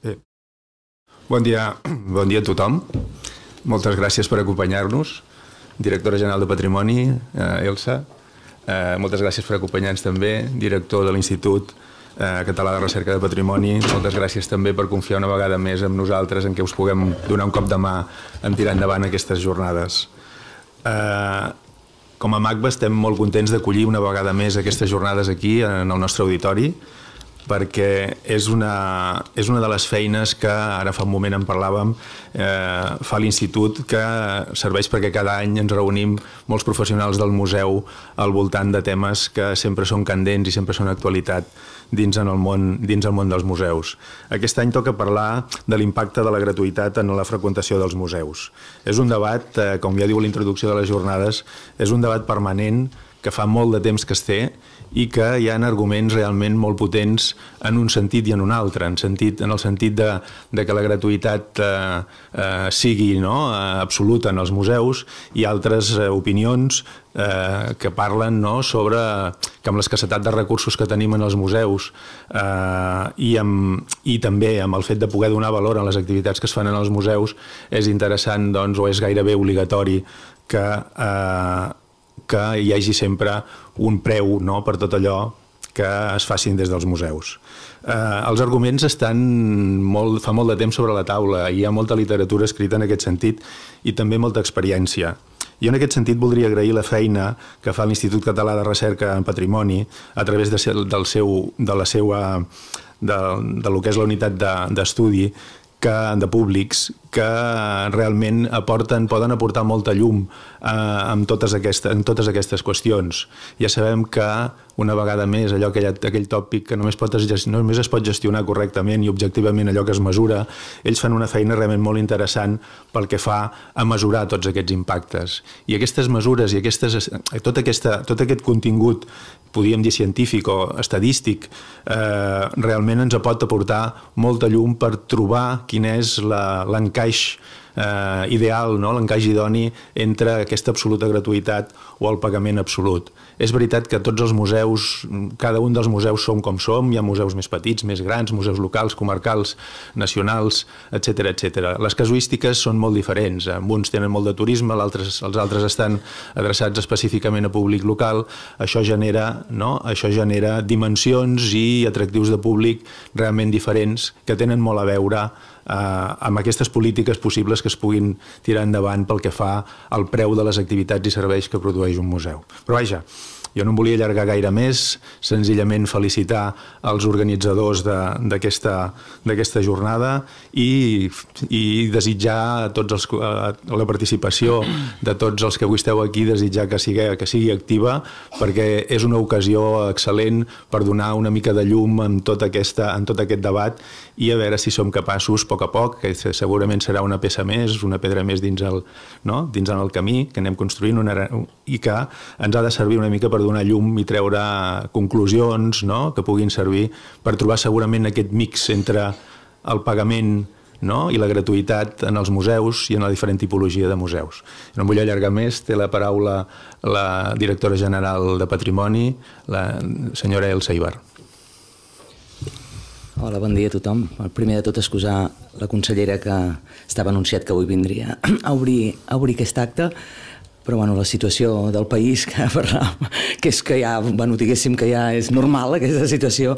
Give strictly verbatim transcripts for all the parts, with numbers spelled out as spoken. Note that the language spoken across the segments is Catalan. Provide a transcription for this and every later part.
Bé. Bon dia, bon dia a tothom. Moltes gràcies per acompanyar-nos. Directora General de Patrimoni, eh, Elsa. Eh, moltes gràcies per acompanyar-nos també. Director de l'Institut eh, Català de Recerca de Patrimoni. Moltes gràcies també per confiar una vegada més en nosaltres, en què us puguem donar un cop de mà en tirar endavant aquestes jornades. Eh, com a MACBA estem molt contents d'acollir una vegada més aquestes jornades aquí en el nostre auditori, perquè és una, és una de les feines que, ara fa un moment en parlàvem, eh, fa l'Institut, que serveix perquè cada any ens reunim molts professionals del museu al voltant de temes que sempre són candents i sempre són actualitat dins, en el món, dins el món dels museus. Aquest any toca parlar de l'impacte de la gratuïtat en la freqüentació dels museus. És un debat, eh, com ja diu l'introducció de les jornades, és un debat permanent que fa molt de temps que es té i que hi ha arguments realment molt potents en un sentit i en un altre, en, sentit, en el sentit de, de que la gratuïtat eh, eh, sigui no, absoluta en els museus, i altres eh, opinions eh, que parlen no, sobre que amb l'escassetat de recursos que tenim en els museus eh, i, amb, i també amb el fet de poder donar valor a les activitats que es fan en els museus, és interessant doncs, o és gairebé obligatori que eh, que hi hagi sempre un preu no, per tot allò que es facin des dels museus. Eh, els arguments estan molt, fa molt de temps sobre la taula, hi ha molta literatura escrita en aquest sentit i també molta experiència. Jo en aquest sentit voldria agrair la feina que fa l'Institut Català de Recerca en Patrimoni a través de, del seu, de la seva, de, de lo que és la unitat d'estudi de, que, de públics que realment aporten, poden aportar molta llum eh, en, totes aquestes, en totes aquestes qüestions. Ja sabem que una vegada més allò aquell, aquell tòpic que només, pot, només es pot gestionar correctament i objectivament allò que es mesura, ells fan una feina realment molt interessant pel que fa a mesurar tots aquests impactes. I aquestes mesures i aquestes, tot, aquesta, tot aquest contingut, podríem dir científic o estadístic, eh, realment ens pot aportar molta llum per trobar quin és l'encaix Eh, ideal, no? L'encaix idoni entre aquesta absoluta gratuïtat o el pagament absolut. És veritat que tots els museus, cada un dels museus som com som, hi ha museus més petits, més grans, museus locals, comarcals, nacionals, etcètera, etcètera. Les casuístiques són molt diferents. Uns tenen molt de turisme, els altres estan adreçats específicament a públic local. Això genera, no? Això genera dimensions i atractius de públic realment diferents que tenen molt a veure Eh, amb aquestes polítiques possibles que es puguin tirar endavant pel que fa al preu de les activitats i serveis que produeix un museu. Però vaja, jo no em volia allargar gaire més, senzillament felicitar els organitzadors d'aquesta jornada i, i desitjar a tots els, a la participació de tots els que avui esteu aquí, desitjar que sigui, que sigui activa, perquè és una ocasió excel·lent per donar una mica de llum en tot, aquesta, en tot aquest debat i a veure si som capaços, a poc a poc, que segurament serà una peça més, una pedra més dins el, no? dins el camí que anem construint una, i que ens ha de servir una mica per donar llum i treure conclusions, no? Que puguin servir per trobar segurament aquest mix entre el pagament, no? I la gratuïtat en els museus i en la diferent tipologia de museus. No em vull allargar més, té la paraula la directora general de Patrimoni, la senyora Elsa Ibar. Hola, bon dia a tothom. Primer de tot, excusar la consellera que estava anunciat que avui vindria a obrir, a obrir aquest acte, però bueno, la situació del país que parlàvem, que és que ja, bueno, diguéssim que ja és normal aquesta situació,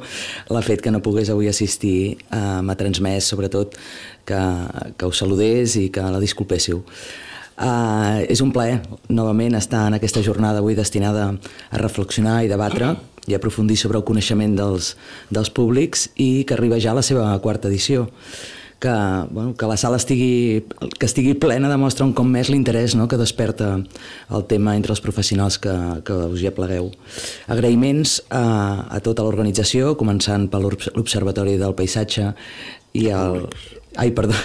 l'ha fet que no pogués avui assistir, eh, m'ha transmès sobretot que, que us saludés i que la disculpéssiu. Uh, és un plaer novament estar en aquesta jornada avui destinada a reflexionar i debatre i aprofundir sobre el coneixement dels, dels públics i que arriba ja a la seva quarta edició. Que, bueno, que la sala estigui, que estigui plena demostra un cop més l'interès, no?, que desperta el tema entre els professionals que, que us hi aplegueu. Agraïments a, a tota l'organització, començant per l'Observatori del Paisatge i el... Ai, perdó.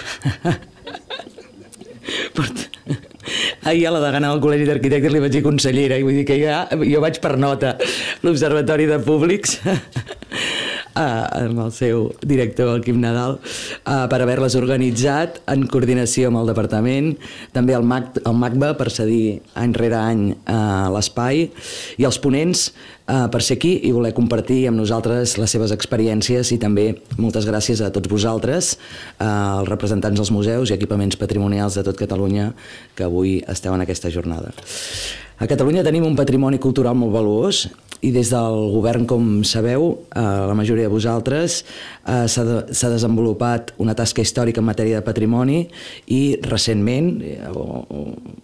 Ahir a la degana del Col·legi d'Arquitectes li vaig dir consellera i vull dir que ja, jo vaig per nota l'Observatori de Públics. amb el seu director, el Quim Nadal, per haver-les organitzat en coordinació amb el departament, també el MACBA per cedir any rere any l'espai, i els ponents per ser aquí i voler compartir amb nosaltres les seves experiències, i també moltes gràcies a tots vosaltres, als representants dels museus i equipaments patrimonials de tot Catalunya que avui esteu en aquesta jornada. A Catalunya tenim un patrimoni cultural molt valuós i des del govern, com sabeu, la majoria de vosaltres, s'ha desenvolupat una tasca històrica en matèria de patrimoni i recentment,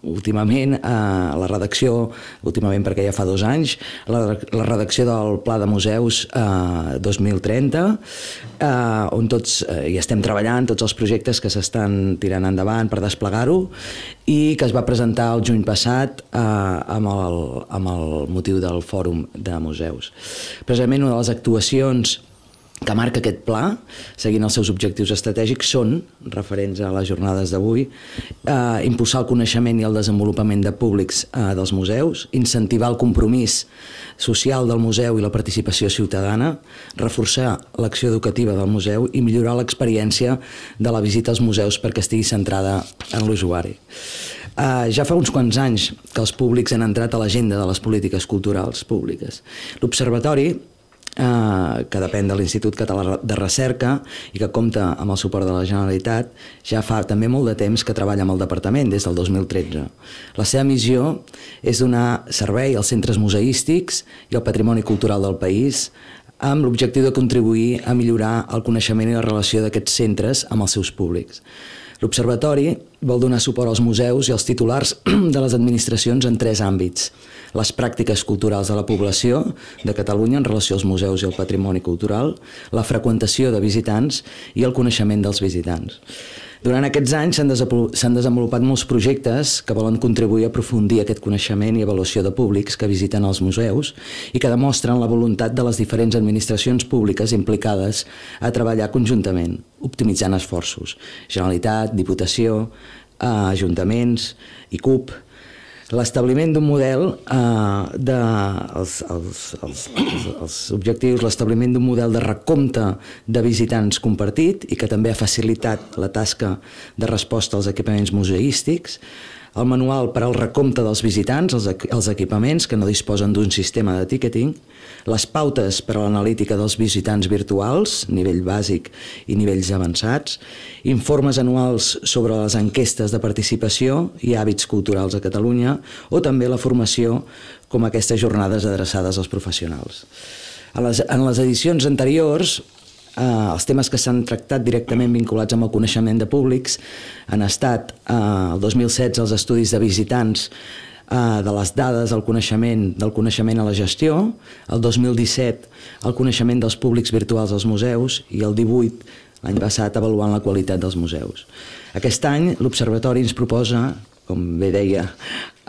últimament, la redacció, últimament perquè ja fa dos anys, la redacció del Pla de Museus dos mil trenta, on tots hi estem treballant, tots els projectes que s'estan tirant endavant per desplegar-ho, i que es va presentar el juny passat amb el, amb el motiu del Fòrum de Museus. Precisament una de les actuacions que marca aquest pla, seguint els seus objectius estratègics, són, referents a les jornades d'avui, eh, impulsar el coneixement i el desenvolupament de públics eh, dels museus, incentivar el compromís social del museu i la participació ciutadana, reforçar l'acció educativa del museu i millorar l'experiència de la visita als museus perquè estigui centrada en l'usuari. Uh, ja fa uns quants anys que els públics han entrat a l'agenda de les polítiques culturals públiques. L'Observatori, uh, que depèn de l'Institut Català de Recerca i que compta amb el suport de la Generalitat, ja fa també molt de temps que treballa amb el Departament, des del dos mil tretze. La seva missió és donar servei als centres museístics i al patrimoni cultural del país, amb l'objectiu de contribuir a millorar el coneixement i la relació d'aquests centres amb els seus públics. L'Observatori vol donar suport als museus i als titulars de les administracions en tres àmbits: les pràctiques culturals de la població de Catalunya en relació als museus i al patrimoni cultural, la freqüentació de visitants i el coneixement dels visitants. Durant aquests anys s'han desenvolupat molts projectes que volen contribuir a aprofundir aquest coneixement i avaluació de públics que visiten els museus i que demostren la voluntat de les diferents administracions públiques implicades a treballar conjuntament, optimitzant esforços. Generalitat, Diputació, ajuntaments i C U P. L'establiment d'un model eh, de, els, els, els, els objectius, l'establiment d'un model de recompte de visitants compartit i que també ha facilitat la tasca de resposta als equipaments museístics, el manual per al recompte dels visitants, els, els equipaments que no disposen d'un sistema de ticketing, les pautes per a l'analítica dels visitants virtuals, nivell bàsic i nivells avançats, informes anuals sobre les enquestes de participació i hàbits culturals a Catalunya, o també la formació com aquestes jornades adreçades als professionals. En les, en les edicions anteriors, eh, els temes que s'han tractat directament vinculats amb el coneixement de públics han estat eh, el dos mil setze els estudis de visitants de les dades del coneixement, del coneixement a la gestió, el dos mil disset el coneixement dels públics virtuals als museus i el divuit, l'any passat, avaluant la qualitat dels museus. Aquest any l'Observatori ens proposa, com bé deia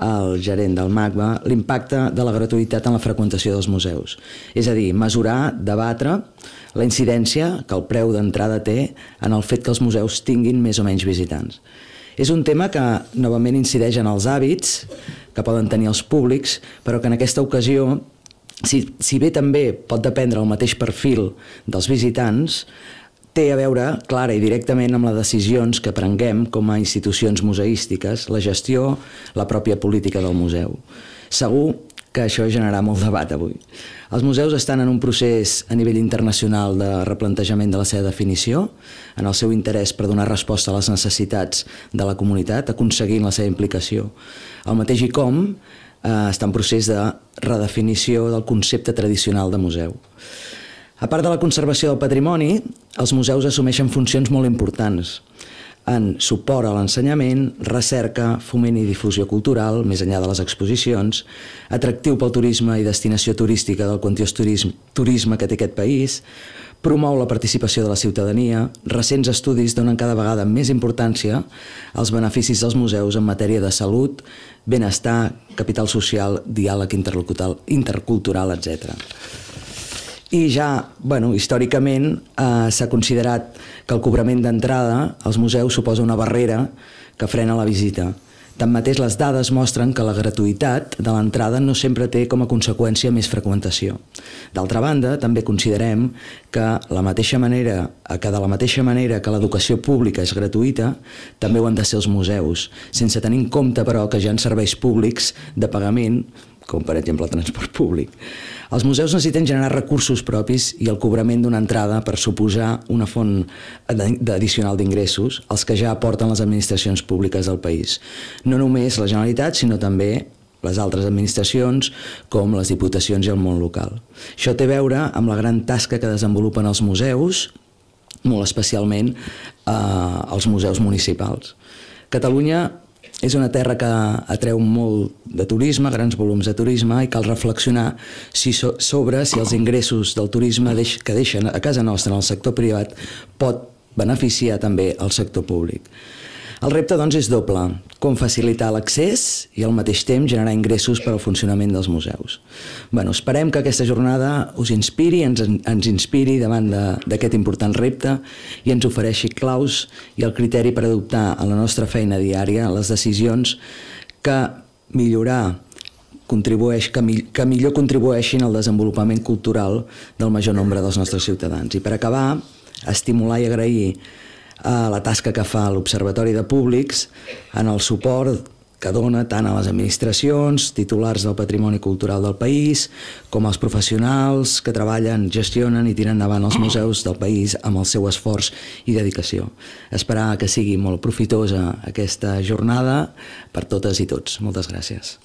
el gerent del MACBA, l'impacte de la gratuïtat en la freqüentació dels museus. És a dir, mesurar, debatre la incidència que el preu d'entrada té en el fet que els museus tinguin més o menys visitants. És un tema que novament incideix en els hàbits que poden tenir els públics, però que en aquesta ocasió, si, si bé també pot dependre el mateix perfil dels visitants, té a veure clara i directament amb les decisions que prenguem com a institucions museístiques, la gestió, la pròpia política del museu. Segur que això generarà molt debat avui. Els museus estan en un procés a nivell internacional de replantejament de la seva definició, en el seu interès per donar resposta a les necessitats de la comunitat, aconseguint la seva implicació. El mateix I C O M eh, està en procés de redefinició del concepte tradicional de museu. A part de la conservació del patrimoni, els museus assumeixen funcions molt importants en suport a l'ensenyament, recerca, foment i difusió cultural, més enllà de les exposicions, atractiu pel turisme i destinació turística del quantiós turisme, turisme que té aquest país, promou la participació de la ciutadania, recents estudis donen cada vegada més importància als beneficis dels museus en matèria de salut, benestar, capital social, diàleg intercultural, etcètera. I ja, bueno, històricament eh, s'ha considerat que el cobrament d'entrada als museus suposa una barrera que frena la visita, Tanmateix, les dades mostren que la gratuïtat de l'entrada no sempre té com a conseqüència més freqüentació. D'altra banda, també considerem que, la mateixa manera, que de la mateixa manera que l'educació pública és gratuïta, també ho han de ser els museus, sense tenir en compte, però, que hi ha serveis públics de pagament, com per exemple el transport públic. Els museus necessiten generar recursos propis i el cobrament d'una entrada per suposar una font addicional d'ingressos, els que ja aporten les administracions públiques del país. No només la Generalitat, sinó també les altres administracions, com les diputacions i el món local. Això té a veure amb la gran tasca que desenvolupen els museus, molt especialment eh, els museus municipals. Catalunya és una terra que atreu molt de turisme, grans volums de turisme, i cal reflexionar si so, sobre si els ingressos del turisme deix, que deixen a casa nostra en el sector privat pot beneficiar també el sector públic. El repte, doncs, és doble: com facilitar l'accés i al mateix temps generar ingressos per al funcionament dels museus. Bueno, esperem que aquesta jornada us inspiri, ens, ens inspiri davant d'aquest important repte i ens ofereixi claus i el criteri per adoptar en la nostra feina diària les decisions que millorar contribueix, que, mi, que millor contribueixin al desenvolupament cultural del major nombre dels nostres ciutadans. I per acabar, estimular i agrair a la tasca que fa l'Observatori de Públics en el suport que dona tant a les administracions, titulars del patrimoni cultural del país, com als professionals que treballen, gestionen i tiren endavant els museus del país amb el seu esforç i dedicació. Esperar que sigui molt profitosa aquesta jornada per totes i tots. Moltes gràcies.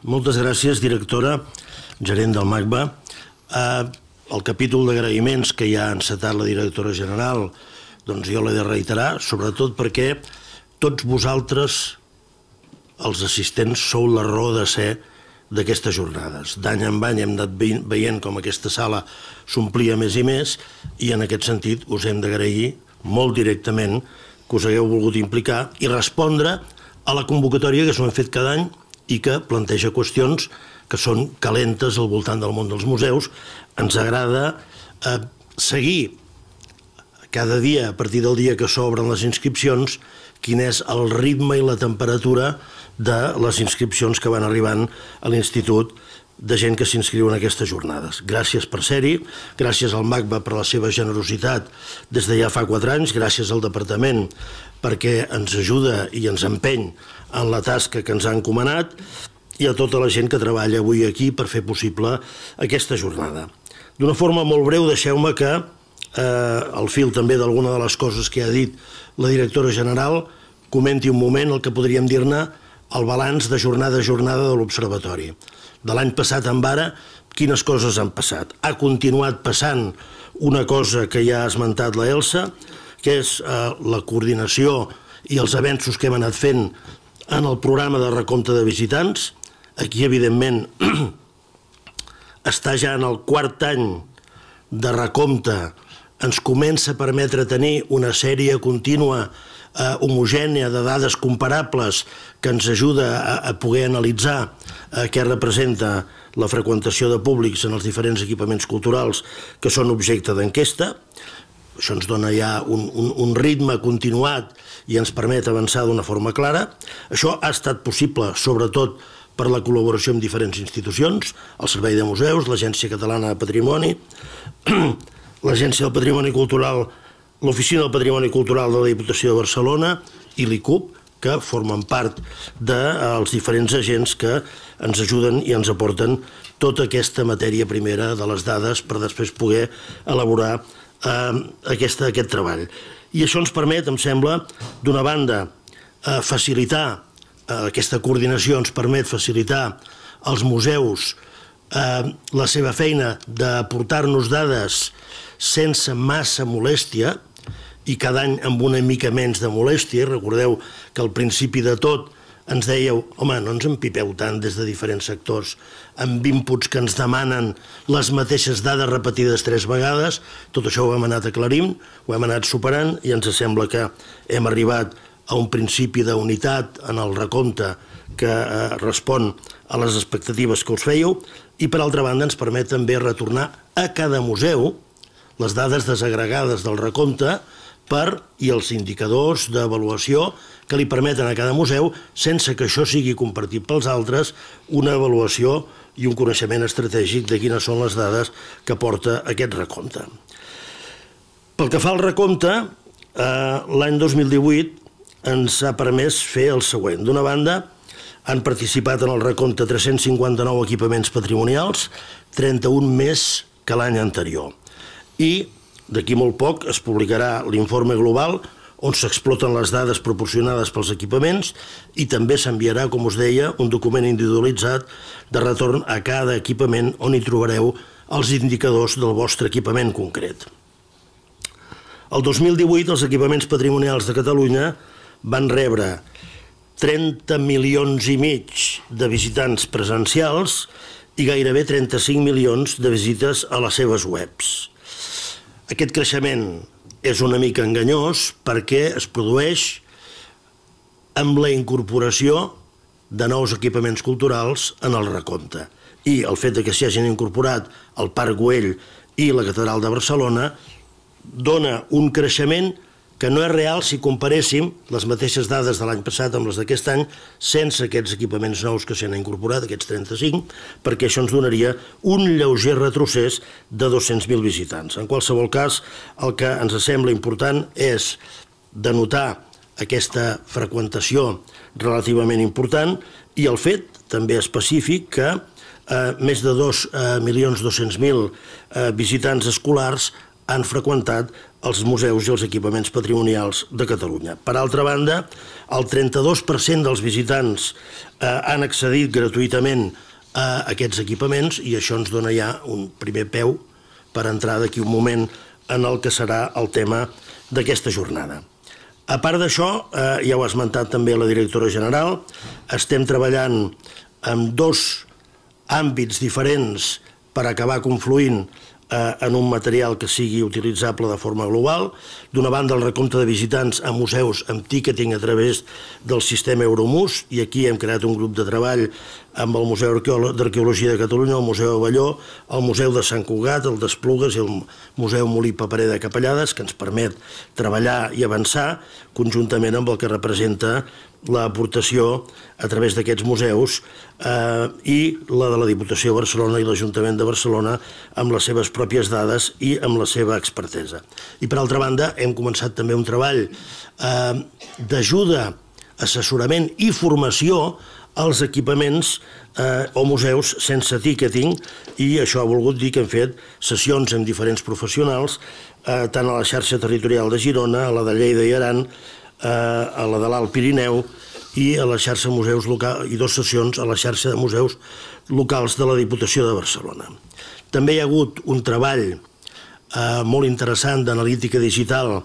Moltes gràcies, directora, gerent del MACBA. El capítol d'agraïments que ja ha encetat la directora general, doncs jo l'he de reiterar, sobretot perquè tots vosaltres, els assistents, sou la raó de ser d'aquestes jornades. D'any en any hem anat veient com aquesta sala s'omplia més i més, i en aquest sentit us hem d'agrair molt directament que us hagueu volgut implicar i respondre a la convocatòria que s'ho hem fet cada any i que planteja qüestions que són calentes al voltant del món dels museus. Ens agrada eh, seguir cada dia, a partir del dia que s'obren les inscripcions, quin és el ritme i la temperatura de les inscripcions que van arribant a l'Institut de gent que s'inscriu en aquestes jornades. Gràcies per ser-hi, gràcies al MACBA per la seva generositat des de ja fa quatre anys, gràcies al Departament perquè ens ajuda i ens empeny en la tasca que ens ha encomanat, i a tota la gent que treballa avui aquí per fer possible aquesta jornada. D'una forma molt breu, deixeu-me que, eh, al fil també d'alguna de les coses que ha dit la directora general, comenti un moment el que podríem dir-ne el balanç de jornada a jornada de l'Observatori. De l'any passat en ara, quines coses han passat? Ha continuat passant una cosa que ja ha esmentat la Elsa, que és eh, la coordinació i els avenços que hem anat fent en el programa de recompte de visitants. Aquí, evidentment, està ja en el quart any de recompte, ens comença a permetre tenir una sèrie contínua, eh, homogènia de dades comparables que ens ajuda a, a poder analitzar eh, què representa la freqüentació de públics en els diferents equipaments culturals que són objecte d'enquesta. Això ens dona ja un, un, un ritme continuat i ens permet avançar d'una forma clara. Això ha estat possible, sobretot, per la col·laboració amb diferents institucions, el Servei de Museus, l'Agència Catalana de Patrimoni, l'Agència del Patrimoni Cultural, l'Oficina del Patrimoni Cultural de la Diputació de Barcelona i l'I C U P, que formen part dels diferents agents que ens ajuden i ens aporten tota aquesta matèria primera de les dades per després poder elaborar eh, aquesta, aquest treball. I això ens permet, em sembla, d'una banda, eh, facilitar aquesta coordinació ens permet facilitar als museus eh, la seva feina d'aportar-nos dades sense massa molèstia i cada any amb una mica menys de molèstia. Recordeu que al principi de tot ens dèieu, home, no ens empipeu tant des de diferents sectors amb inputs que ens demanen les mateixes dades repetides tres vegades. Tot això ho hem anat aclarint, ho hem anat superant i ens sembla que hem arribat a un principi d'unitat en el recompte que eh, respon a les expectatives que us fèieu, i per altra banda ens permet també retornar a cada museu, les dades desagregades del recompte per, i els indicadors d'avaluació que li permeten a cada museu, sense que això sigui compartit pels altres, una avaluació i un coneixement estratègic de quines són les dades que porta aquest recompte. Pel que fa al recompte, l'any dos mil divuit ens ha permès fer el següent. D'una banda, han participat en el recompte tres-cents cinquanta-nou equipaments patrimonials, trenta-un més que l'any anterior. I d'aquí molt poc es publicarà l'informe global on s'exploten les dades proporcionades pels equipaments i també s'enviarà, com us deia, un document individualitzat de retorn a cada equipament on hi trobareu els indicadors del vostre equipament concret. El dos mil divuit els equipaments patrimonials de Catalunya van rebre trenta milions i mig de visitants presencials i gairebé trenta-cinc milions de visites a les seves webs. Aquest creixement és una mica enganyós perquè es produeix amb la incorporació de nous equipaments culturals en el recompte. I el fet que s'hi hagin incorporat el Parc Güell i la Catedral de Barcelona dona un creixement que no és real si comparéssim les mateixes dades de l'any passat amb les d'aquest any sense aquests equipaments nous que s'hi han incorporat, aquests trenta-cinc, perquè això ens donaria un lleuger retrocés de dos-cents mil visitants. En qualsevol cas, el que ens sembla important és denotar aquesta freqüentació relativament important i el fet també específic que eh, més de dos milions dos-cents mil eh, visitants escolars han freqüentat els museus i els equipaments patrimonials de Catalunya. Per altra banda, el trenta-dos per cent dels visitants eh, han accedit gratuïtament a aquests equipaments i això ens dona ja un primer peu per entrar d'aquí un moment en el que serà el tema d'aquesta jornada. A part d'això, eh, ja ho ha esmentat també la directora general, estem treballant en dos àmbits diferents per acabar confluint en un material que sigui utilitzable de forma global. D'una banda, el recompte de visitants a museus amb ticketing a través del sistema Euromus, i aquí hem creat un grup de treball amb el Museu d'Arqueologia de Catalunya, el Museu Avelló, el Museu de Sant Cugat, el d'Esplugues i el Museu Molí Paperer de Capellades, que ens permet treballar i avançar conjuntament amb el que representa l'aportació a través d'aquests museus eh, i la de la Diputació de Barcelona i l'Ajuntament de Barcelona amb les seves pròpies dades i amb la seva expertesa. I per altra banda hem començat també un treball eh, d'ajuda, assessorament i formació als equipaments eh, o museus sense ticketing, i això ha volgut dir que hem fet sessions amb diferents professionals, eh, tant a la xarxa territorial de Girona, a la de Lleida i Aran, a la de l'Alt Pirineu i a la xarxa museus local, i dues sessions a la xarxa de museus locals de la Diputació de Barcelona. També hi ha hagut un treball eh, molt interessant d'analítica digital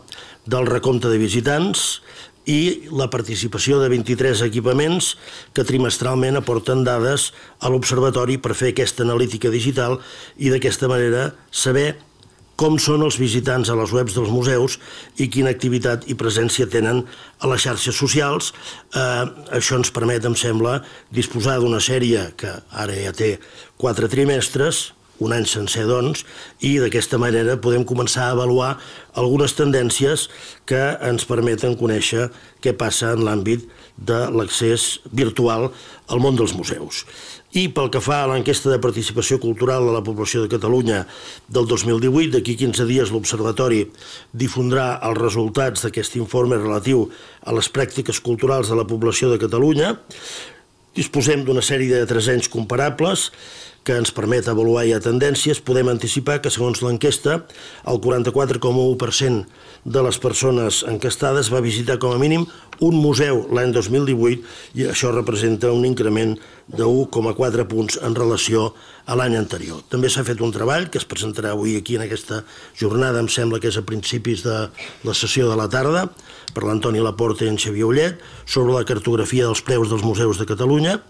del recompte de visitants i la participació de vint-i-tres equipaments que trimestralment aporten dades a l'Observatori per fer aquesta analítica digital i d'aquesta manera saber com són els visitants a les webs dels museus i quina activitat i presència tenen a les xarxes socials. Eh, això ens permet, em sembla, disposar d'una sèrie que ara ja té quatre trimestres, un any sencer, doncs, i d'aquesta manera podem començar a avaluar algunes tendències que ens permeten conèixer què passa en l'àmbit de l'accés virtual al món dels museus. I pel que fa a l'enquesta de participació cultural de la població de Catalunya del dos mil divuit, d'aquí quinze dies l'Observatori difondrà els resultats d'aquest informe relatiu a les pràctiques culturals de la població de Catalunya. Disposem d'una sèrie de tres anys comparables que ens permet avaluar ja tendències. Podem anticipar que, segons l'enquesta, el quaranta-quatre coma u per cent de les persones enquestades va visitar com a mínim un museu l'any dos mil divuit i això representa un increment de u coma quatre punts en relació a l'any anterior. També s'ha fet un treball que es presentarà avui aquí en aquesta jornada, em sembla que és a principis de la sessió de la tarda, per l'Antoni Laporta i en Xavier Ullet, sobre la cartografia dels preus dels museus de Catalunya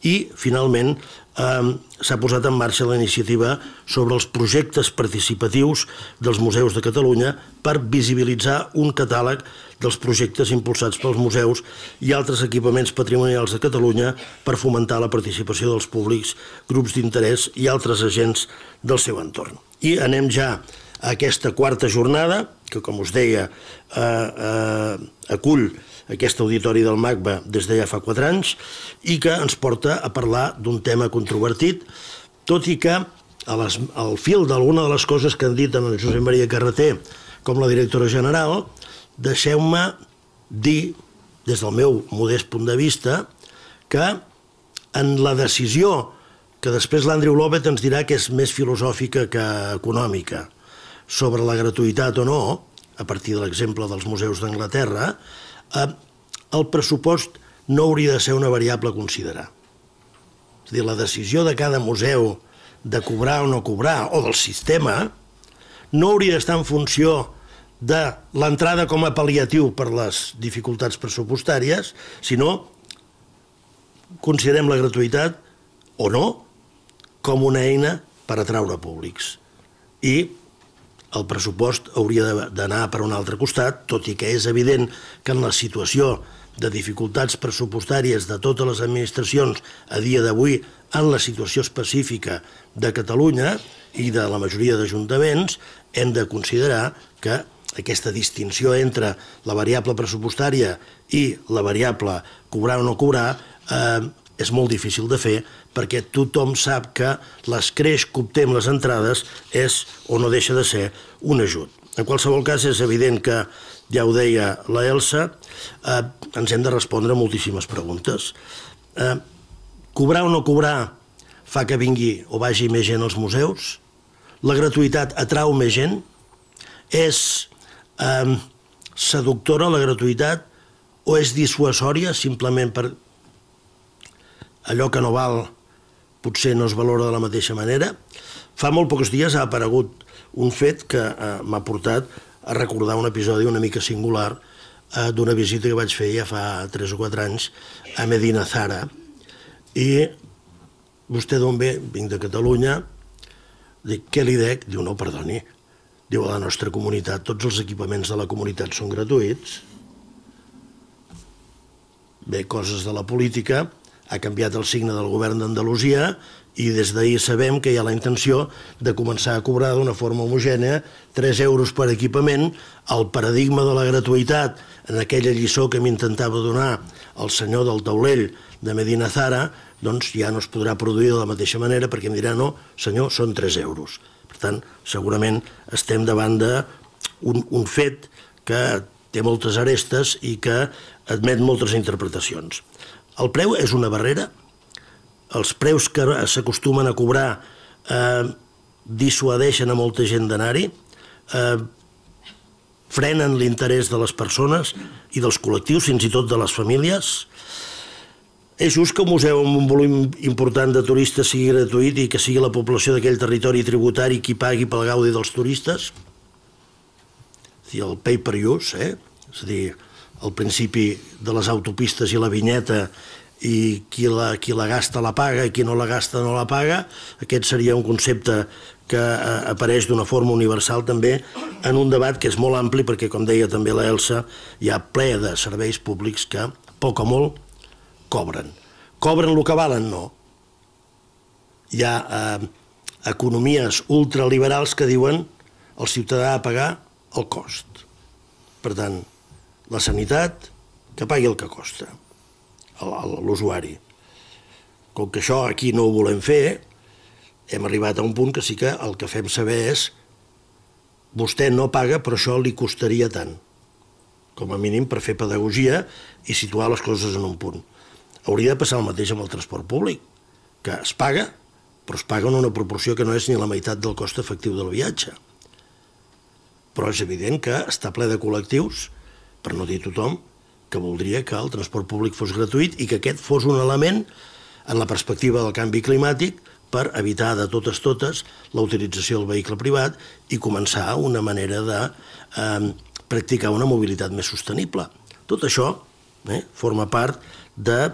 i, finalment, eh, s'ha posat en marxa la iniciativa sobre els projectes participatius dels museus de Catalunya per visibilitzar un catàleg dels projectes impulsats pels museus i altres equipaments patrimonials de Catalunya per fomentar la participació dels públics, grups d'interès i altres agents del seu entorn. I anem ja aquesta quarta jornada, que com us deia eh, eh, acull aquest auditori del MACBA des de ja fa quatre anys i que ens porta a parlar d'un tema controvertit, tot i que a les, al fil d'alguna de les coses que han dit en el Josep Maria Carreter com la directora general, deixeu-me dir, des del meu modest punt de vista, que en la decisió, que després l'Andrew Lovett ens dirà que és més filosòfica que econòmica, sobre la gratuïtat o no, a partir de l'exemple dels museus d'Anglaterra, eh, el pressupost no hauria de ser una variable a considerar. És a dir, la decisió de cada museu de cobrar o no cobrar, o del sistema, no hauria d'estar en funció de l'entrada com a pal·liatiu per les dificultats pressupostàries, sinó considerem la gratuïtat o no com una eina per atraure públics. I el pressupost hauria d'anar per un altre costat, tot i que és evident que en la situació de dificultats pressupostàries de totes les administracions a dia d'avui, en la situació específica de Catalunya i de la majoria d'ajuntaments, hem de considerar que aquesta distinció entre la variable pressupostària i la variable cobrar o no cobrar eh, és molt difícil de fer perquè tothom sap que l'escreix que obtem les entrades és o no deixa de ser un ajut. En qualsevol cas, és evident que, ja ho deia la Elsa, eh, ens hem de respondre moltíssimes preguntes. Eh, cobrar o no cobrar fa que vingui o vagi més gent als museus? La gratuïtat atrau més gent? És eh, seductora la gratuïtat o és dissuasòria simplement per allò que no val potser no es valora de la mateixa manera? Fa molt pocs dies ha aparegut un fet que eh, m'ha portat a recordar un episodi una mica singular eh, d'una visita que vaig fer ja fa tres o quatre anys a Medina Zara. I vostè d'on ve? Vinc de Catalunya. Dic, què li dec? Diu, no, perdoni. Diu, a la nostra comunitat tots els equipaments de la comunitat són gratuïts. Bé, coses de la política. Ha canviat el signe del govern d'Andalusia i des d'ahir sabem que hi ha la intenció de començar a cobrar d'una forma homogènia tres euros per equipament. El paradigma de la gratuïtat, en aquella lliçó que m'intentava donar el senyor del taulell de Medina Zara, doncs ja no es podrà produir de la mateixa manera perquè em dirà, no, senyor, són tres euros. Per tant, segurament estem davant d'un un fet que té moltes arestes i que admet moltes interpretacions. El preu és una barrera. Els preus que s'acostumen a cobrar eh, dissuadeixen a molta gent d'anar-hi, eh, frenen l'interès de les persones i dels col·lectius, fins i tot de les famílies. És just que un museu amb un volum important de turistes sigui gratuït i que sigui la població d'aquell territori tributari qui pagui pel gaudi dels turistes? El pay per use, eh? És a dir, el principi de les autopistes i la vinyeta i qui la, qui la gasta la paga i qui no la gasta no la paga, aquest seria un concepte que eh, apareix d'una forma universal també en un debat que és molt ampli perquè, com deia també la Elsa, hi ha ple de serveis públics que, poc o molt, cobren. Cobren el que valen? No. Hi ha eh, economies ultraliberals que diuen el ciutadà ha de pagar el cost. Per tant, la sanitat, que pagui el que costa, l'usuari. Com que això aquí no ho volem fer, hem arribat a un punt que sí que el que fem saber és vostè no paga, però això li costaria tant, com a mínim per fer pedagogia i situar les coses en un punt. Hauria de passar el mateix amb el transport públic, que es paga, però es paga en una proporció que no és ni la meitat del cost efectiu del viatge. Però és evident que està ple de col·lectius, per no dir tothom, que voldria que el transport públic fos gratuït i que aquest fos un element en la perspectiva del canvi climàtic per evitar de totes totes la utilització del vehicle privat i començar una manera de eh, practicar una mobilitat més sostenible. Tot això eh, forma part de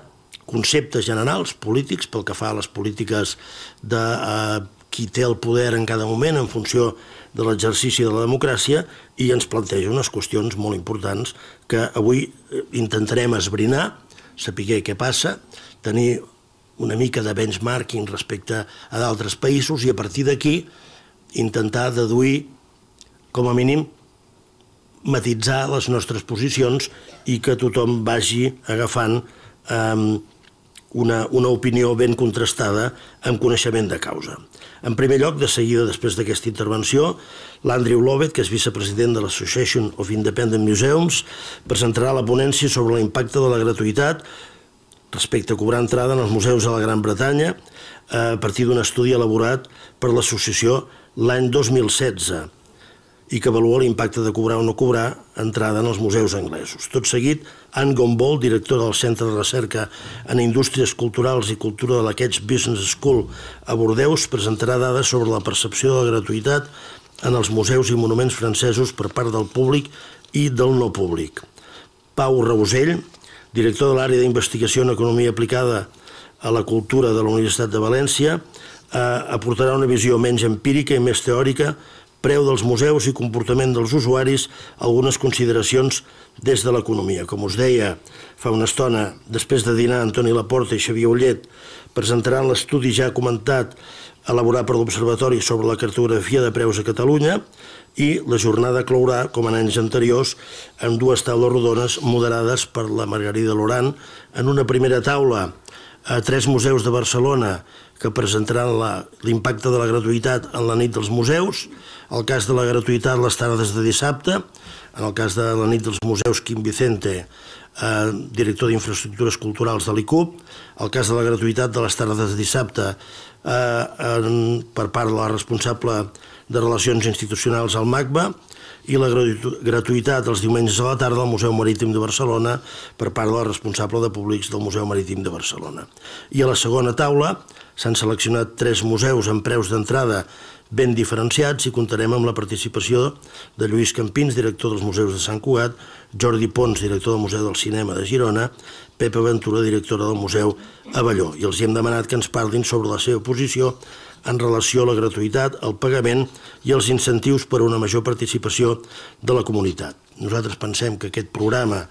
conceptes generals polítics pel que fa a les polítiques de eh, qui té el poder en cada moment en funció de l'exercici de la democràcia i ens planteja unes qüestions molt importants que avui intentarem esbrinar, saber què passa, tenir una mica de benchmarking respecte a d'altres països i a partir d'aquí intentar deduir com a mínim, matitzar les nostres posicions i que tothom vagi agafant eh, una, una opinió ben contrastada amb coneixement de causa. En primer lloc, de seguida després d'aquesta intervenció, l'Andrew Lovett, que és vicepresident de l'Association of Independent Museums, presentarà la ponència sobre l'impacte de la gratuïtat respecte a cobrar entrada en els museus de la Gran Bretanya a partir d'un estudi elaborat per l'associació l'any dos mil setze i que avalua l'impacte de cobrar o no cobrar entrada en els museus anglesos. Tot seguit, Anne Gombold, directora del Centre de Recerca en Indústries Culturals i Cultura de la Keats Business School a Bordeus, presentarà dades sobre la percepció de la gratuïtat en els museus i monuments francesos per part del públic i del no públic. Pau Rausell, director de l'àrea d'investigació en economia aplicada a la cultura de la Universitat de València, aportarà una visió menys empírica i més teòrica, preu dels museus i comportament dels usuaris, algunes consideracions des de l'economia. Com us deia fa una estona, després de dinar, Antoni Laporta i Xavier Ullet presentaran l'estudi ja comentat elaborat per l'Observatori sobre la cartografia de preus a Catalunya i la jornada clourà, com en anys anteriors, amb dues taules rodones moderades per la Margarida Loran. En una primera taula, a tres museus de Barcelona que presentaran l'impacte de la gratuïtat en la nit dels museus, el cas de la gratuïtat les tardes de dissabte, en el cas de la nit dels museus Quim Vicente, eh, director d'Infraestructures Culturals de l'I C U P, el cas de la gratuïtat de les tardes de dissabte eh, en, per part de la responsable de Relacions Institucionals al MACBA, i la gratuïtat els diumenges a la tarda al Museu Marítim de Barcelona per part de la responsable de públics del Museu Marítim de Barcelona. I a la segona taula s'han seleccionat tres museus amb preus d'entrada ben diferenciats i comptarem amb la participació de Lluís Campins, director dels Museus de Sant Cugat, Jordi Pons, director del Museu del Cinema de Girona, Pepa Ventura, directora del Museu Avelló. I els hem demanat que ens parlin sobre la seva posició en relació a la gratuïtat, el pagament i els incentius per a una major participació de la comunitat. Nosaltres pensem que aquest programa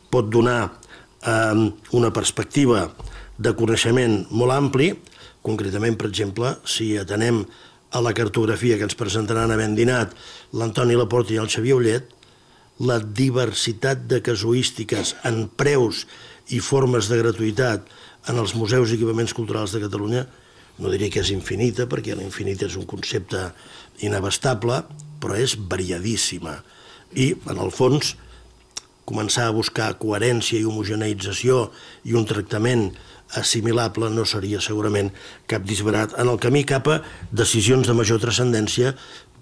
pot donar eh, una perspectiva de coneixement molt ampli, concretament, per exemple, si atenem a la cartografia que ens presentaran havent dinat l'Antoni Laporta i el Xavier Ullet, la diversitat de casuístiques en preus i formes de gratuïtat en els museus i equipaments culturals de Catalunya, no diré que és infinita, perquè l'infinit és un concepte inabastable, però és variadíssima. I, en el fons, començar a buscar coherència i homogeneïtzació i un tractament assimilable no seria segurament cap disbarat en el camí cap a decisions de major transcendència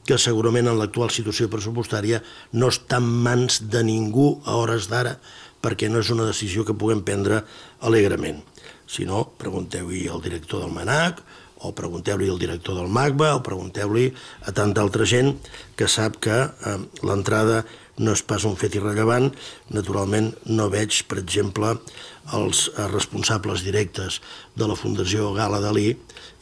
que segurament en l'actual situació pressupostària no està en mans de ningú a hores d'ara, perquè no és una decisió que puguem prendre alegrement. Si no, pregunteu-hi al director del MANAC, o pregunteu-li al director del MACBA, o pregunteu-li a tanta altra gent que sap que eh, l'entrada no és pas un fet irrellevant. Naturalment no veig, per exemple, els responsables directes de la Fundació Gala Dalí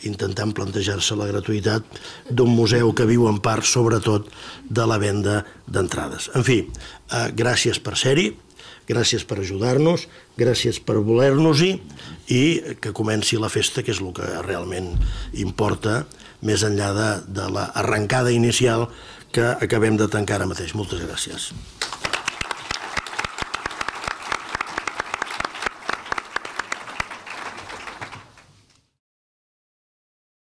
intentant plantejar-se la gratuïtat d'un museu que viu en part, sobretot, de la venda d'entrades. En fi, eh, gràcies per ser-hi, gràcies per ajudar-nos, gràcies per voler-nos-hi i que comenci la festa, que és el que realment importa, més enllà de, de l'arrencada inicial que acabem de tancar ara mateix. Moltes gràcies.